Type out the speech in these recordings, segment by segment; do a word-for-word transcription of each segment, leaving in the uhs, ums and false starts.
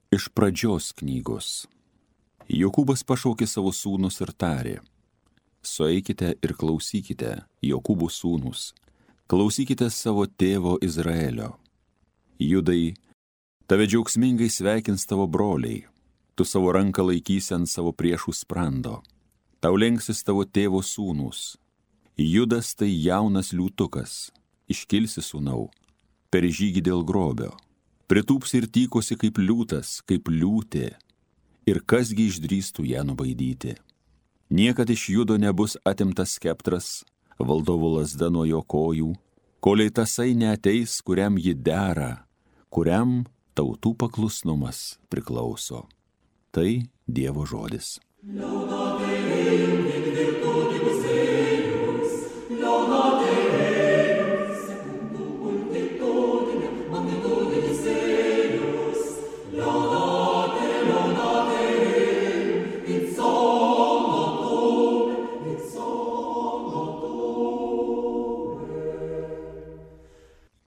Iš pradžios knygos. Jokūbas pašaukė savo sūnus ir tarė: Sueikite ir klausykite, Jokūbo sūnus, klausykite savo tėvo Izraelio. Judai, tave džiaugsmingai sveikins tavo broliai, tu savo ranką laikysi ant savo priešų sprando, tau lenksis tavo tėvo sūnus. Judas tai jaunas liūtukas, iškilsi sūnau, per žygį dėl grobio, pritūps ir tykosi kaip liūtas, kaip liūtė, ir kasgi išdrįstų ją nubaidyti. Niekad iš Judo nebus atimtas skeptras, valdovo lazda nuo jo kojų, kolei tasai neateis, kuriam ji dera, kuriam tautų paklusnumas priklauso. Tai Dievo žodis.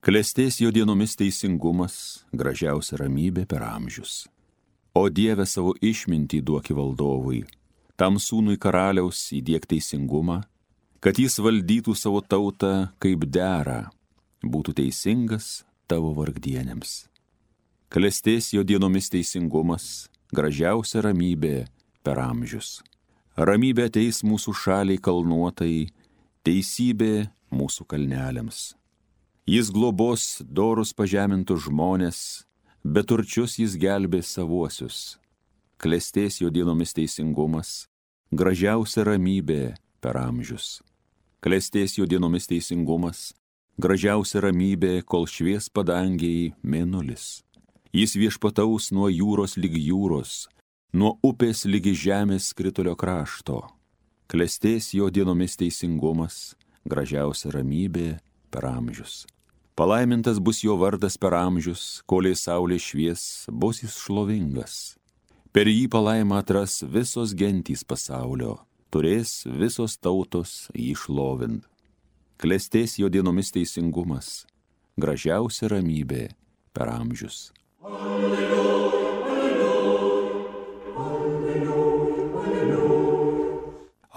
Klestės jo dienomis teisingumas, gražiausia ramybė per amžius. O Dieve, savo išmintį duoki valdovui, tam sūnui karaliaus įdiek teisingumą, kad jis valdytų savo tautą kaip dera, būtų teisingas tavo vargdienėms. Klestės jo dienomis teisingumas, gražiausia ramybė per amžius. Ramybė ateis mūsų šaliai kalnuotai, teisybė mūsų kalneliams. Jis globos dorus pažemintus žmonės, bet turčius jis gelbės savuosius. Klestės jo dienomis teisingumas, gražiausia ramybė per amžius. Klestės jo dienomis teisingumas, gražiausia ramybė, kol švies padangiai mėnulis. Jis viešpataus nuo jūros lyg jūros, nuo upės lygi žemės skritulio krašto. Klestės jo dienomis teisingumas, gražiausia ramybė per amžius. Palaimintas bus jo vardas per amžius, kolei saulė švies, bus jis šlovingas. Per jį palaimą atras visos gentys pasaulio, turės visos tautos jį šlovint. Klestės jo dienomis teisingumas, gražiausia ramybė per amžius. Alleluja, alleluja, alleluja, alleluja.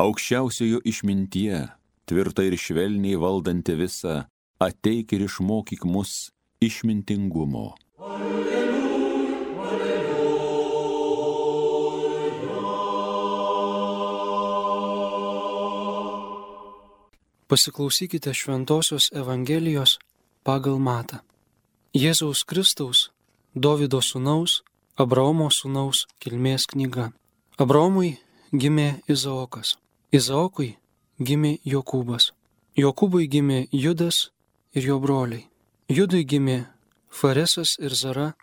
Aukščiausiojo išmintie, tvirta ir švelniai valdanti visą, ateik ir išmokyk mus išmintingumo. Alleluja, alleluja. Pasiklausykite Šventosios Evangelijos pagal Matą. Jėzaus Kristaus, Dovydo sūnaus, Abraomo sūnaus kilmės knyga. Abraomui gimė Izaokas, Izaokui gimė Jokūbas, Jokūbui gimė Judas ir jo broliai. Judui gimė Faresas ir Zara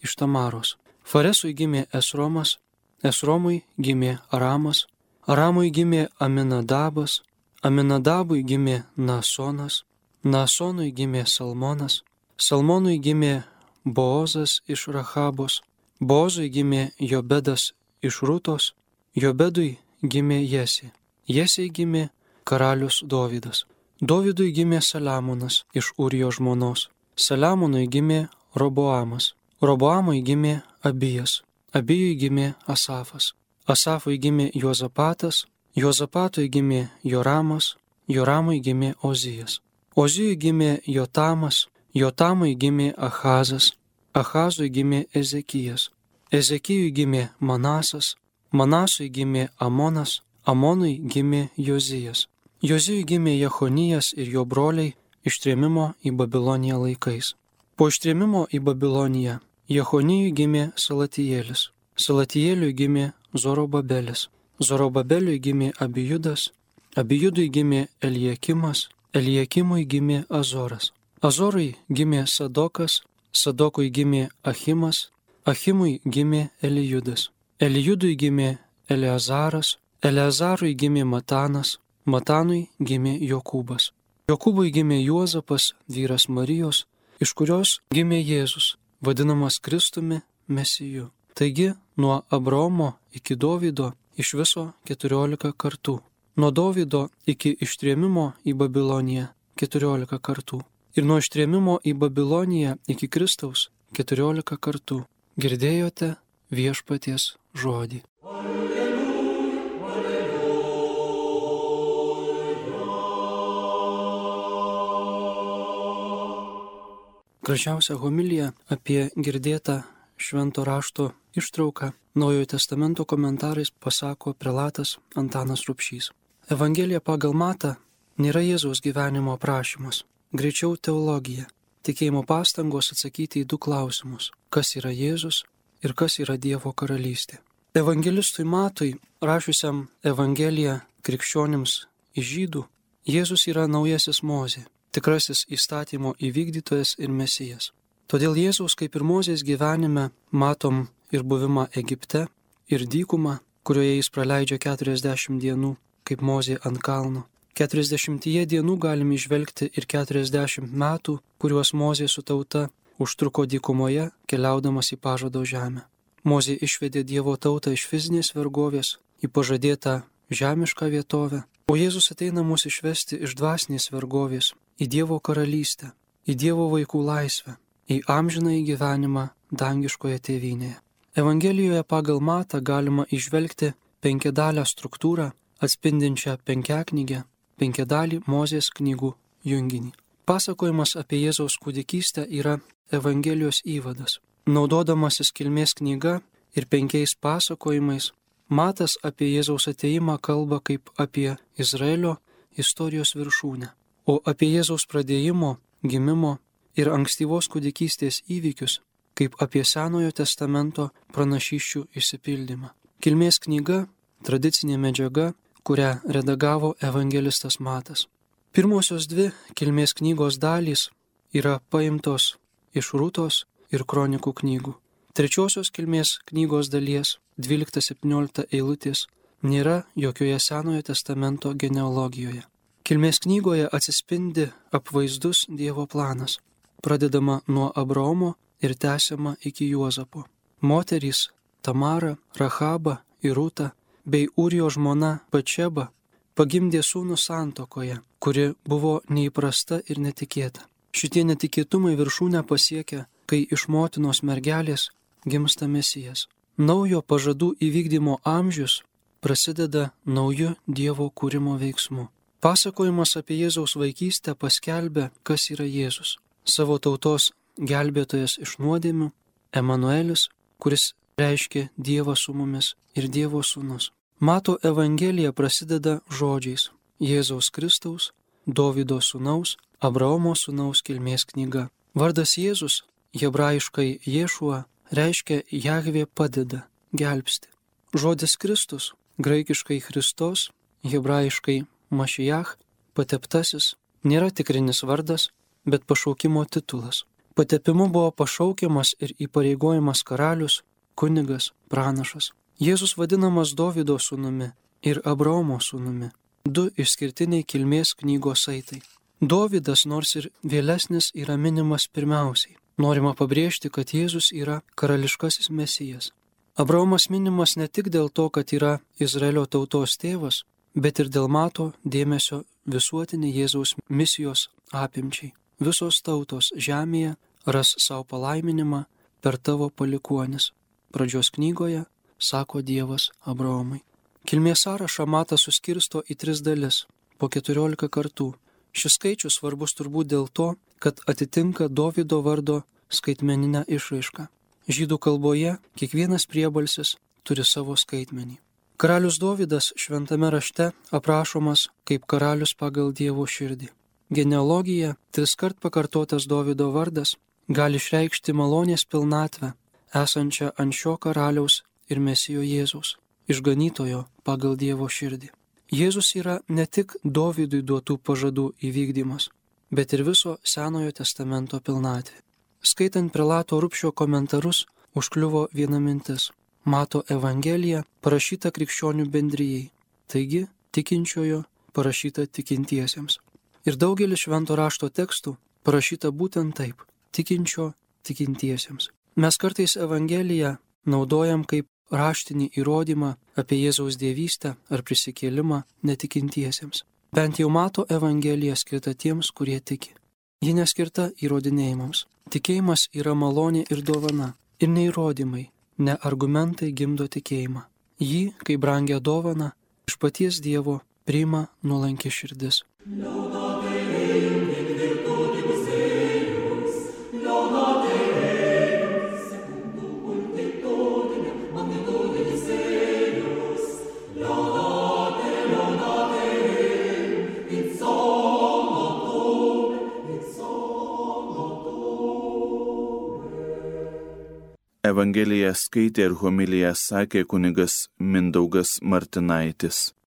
iš Tamaros. Faresui gimė Esromas, Esromui gimė Aramas, Aramui gimė Aminadabas, Aminadabui gimė Naasonas, Naasonui gimė Salmonas, Salmonui gimė Boozas iš Rachabos, Boozui gimė Jobedas iš Rutos, Jobedui gimė Jesė, Jesei gimė karalius Dovydas. Dovydui gimė Saliamonas iš Urijo žmonos, Saliamonui gimė Roboamas, Roboamui gimė Abijas, Abijui gimė Asafas, Asafui gimė Juozapatas, Juozapatui gimė Joramas, Joramui gimė Ozijas, Ozijui gimė Jotamas, Jotamui gimė Achazas, Achazui gimė Ezekijas, Ezekijui gimė Manasas, Manasui gimė Amonas, Amonui gimė Jozijas, Jozijui gimė Jechonijas ir jo broliai ištrėmimo į Babiloniją laikais. Po ištrėmimo į Babiloniją Jechonijui gimė Salatijėlis, Salatijėliui gimė Zorobabelis, Zorobabeliui gimė Abijudas, Abijudui gimė Eliakimas, Eliakimui gimė Azoras, Azorui gimė Sadokas, Sadokui gimė Achimas, Achimui gimė Elijudas, Elijudui gimė Eleazaras, Eleazarui gimė Matanas, Matanui gimė Jokūbas. Jokūbui gimė Juozapas, vyras Marijos, iš kurios gimė Jėzus, vadinamas Kristumi Mesiju. Taigi, nuo Abraomo iki Dovydo iš viso keturiolika kartų. Nuo Dovydo iki ištrėmimo į Babiloniją keturiolika kartų. Ir nuo ištrėmimo į Babiloniją iki Kristaus keturiolika kartų. Girdėjote viešpaties žodį. Gražiausia homilija apie girdėtą švento rašto ištrauką Naujojo testamento komentarais pasako prelatas Antanas Rubšys. Evangelija pagal Matą nėra Jėzaus gyvenimo aprašymas, greičiau teologija, tikėjimo pastangos atsakyti į du klausimus – kas yra Jėzus ir kas yra Dievo karalystė. Evangelistui Matui, rašiusiam Evangeliją krikščionims iš žydų, Jėzus yra naujasis Mozė, tikrasis įstatymo įvykdytojas ir Mesijas. Todėl Jėzaus kaip ir Mozės gyvenime matom ir buvimą Egipte, ir dykumą, kurioje jis praleidžia keturiasdešimt dienų, kaip Mozė ant kalno. Keturiasdešimtyje dienų galime įžvelgti ir keturiasdešimt metų, kuriuos Mozė su tauta užtruko dykumoje, keliaudamas į pažado žemę. Mozė išvedė Dievo tautą iš fizinės vergovės į pažadėtą žemišką vietovę, o Jėzus ateina mus išvesti iš dvasinės vergovės į Dievo karalystę, į Dievo vaikų laisvę, į amžinąjį gyvenimą dangiškoje tėvynėje. Evangelijoje pagal Matą galima įžvelgti penkiadalę struktūrą, atspindinčią penkiaknygę, penkiadalį Mozės knygų junginį. Pasakojimas apie Jėzaus kūdikystę yra Evangelijos įvadas. Naudodamasis kilmės knyga ir penkiais pasakojimais, Matas apie Jėzaus atėjimą kalba kaip apie Izraelio istorijos viršūnę, o apie Jėzaus pradėjimo, gimimo ir ankstyvos kūdikystės įvykius kaip apie Senojo testamento pranašysčių išsipildymą. Kilmės knyga – tradicinė medžiaga, kurią redagavo evangelistas Matas. Pirmosios dvi kilmės knygos dalys yra paimtos iš Rūtos ir Kronikų knygų. Trečiosios kilmės knygos dalies dvylikta septyniolikta eilutės nėra jokioje Senojo testamento genealogijoje. Kilmės knygoje atsispindi apvaizdus Dievo planas, pradedama nuo Abraomo ir tęsiama iki Juozapo. Moterys Tamara, Rachaba ir Rūta bei Urijo žmona Bačeba pagimdė sūnų santuokoje, kuri buvo neįprasta ir netikėta. Šitie netikėtumai viršūnę pasiekia, kai iš motinos mergelės gimsta Mesijas. Naujo pažadų įvykdymo amžius prasideda nauju Dievo kūrimo veiksmu. Pasakojimas apie Jėzaus vaikystę paskelbė, kas yra Jėzus. Savo tautos gelbėtojas iš nuodėmių, Emanuelis, kuris reiškia Dievą su mumis ir Dievo sūnus. Mato Evangelija prasideda žodžiais Jėzaus Kristaus, Dovydo sūnaus, Abraomo sūnaus kilmės knyga. Vardas Jėzus, hebrajiškai Ješua, reiškia Jahvė padeda, gelbsti. Žodis Kristus, graikiškai Christos, hebrajiškai Mašijach, pateptasis, nėra tikrinis vardas, bet pašaukimo titulas. Patepimu buvo pašaukiamas ir įpareigojamas karalius, kunigas, pranašas. Jėzus vadinamas Dovydo sūnumi ir Abraomo sūnumi. Du išskirtiniai kilmės knygos saitai. Dovydas, nors ir vėlesnis, yra minimas pirmiausiai. Norima pabrėžti, kad Jėzus yra karališkasis Mesijas. Abraomas minimas ne tik dėl to, kad yra Izraelio tautos tėvas, bet ir dėl Mato dėmesio visuotinį Jėzaus misijos apimčiai. Visos tautos žemėje ras savo palaiminimą per tavo palikuonis. Pradžios knygoje sako Dievas Abraomui. Kilmės sąrašą Matas suskirsto į tris dalis, po keturiolika kartų. Šis skaičius svarbus turbūt dėl to, kad atitinka Dovydo vardo skaitmeninę išraišką. Žydų kalboje kiekvienas priebalsis turi savo skaitmenį. Karalius Dovydas šventame rašte aprašomas kaip karalius pagal Dievo širdį. Genealogija, triskart pakartotas Dovydo vardas, gali išreikšti malonės pilnatvę, esančią ant šio karaliaus ir Mesijo Jėzaus, išganytojo pagal Dievo širdį. Jėzus yra ne tik Dovydui duotų pažadų įvykdymas, bet ir viso Senojo testamento pilnatvė. Skaitant prelato Rubšio komentarus, užkliuvo viena mintis. Mato Evangelija parašyta krikščionių bendrijai, taigi tikinčiojo parašyta tikintiesiems. Ir daugelis švento rašto tekstų parašyta būtent taip – tikinčio tikintiesiems. Mes kartais Evangeliją naudojam kaip raštinį įrodymą apie Jėzaus dievystę ar prisikėlimą netikintiesiems. Bent jau Mato Evangelija skirta tiems, kurie tiki. Ji neskirta įrodinėjimams. Tikėjimas yra malonė ir dovana, ir ne įrodymai, Ne argumentai gimdo tikėjimą. Jį, kaip brangią dovaną, iš paties Dievo priima nuolanki širdis. Evangeliją skaitė ir homiliją sakė kunigas Mindaugas Martinaitis.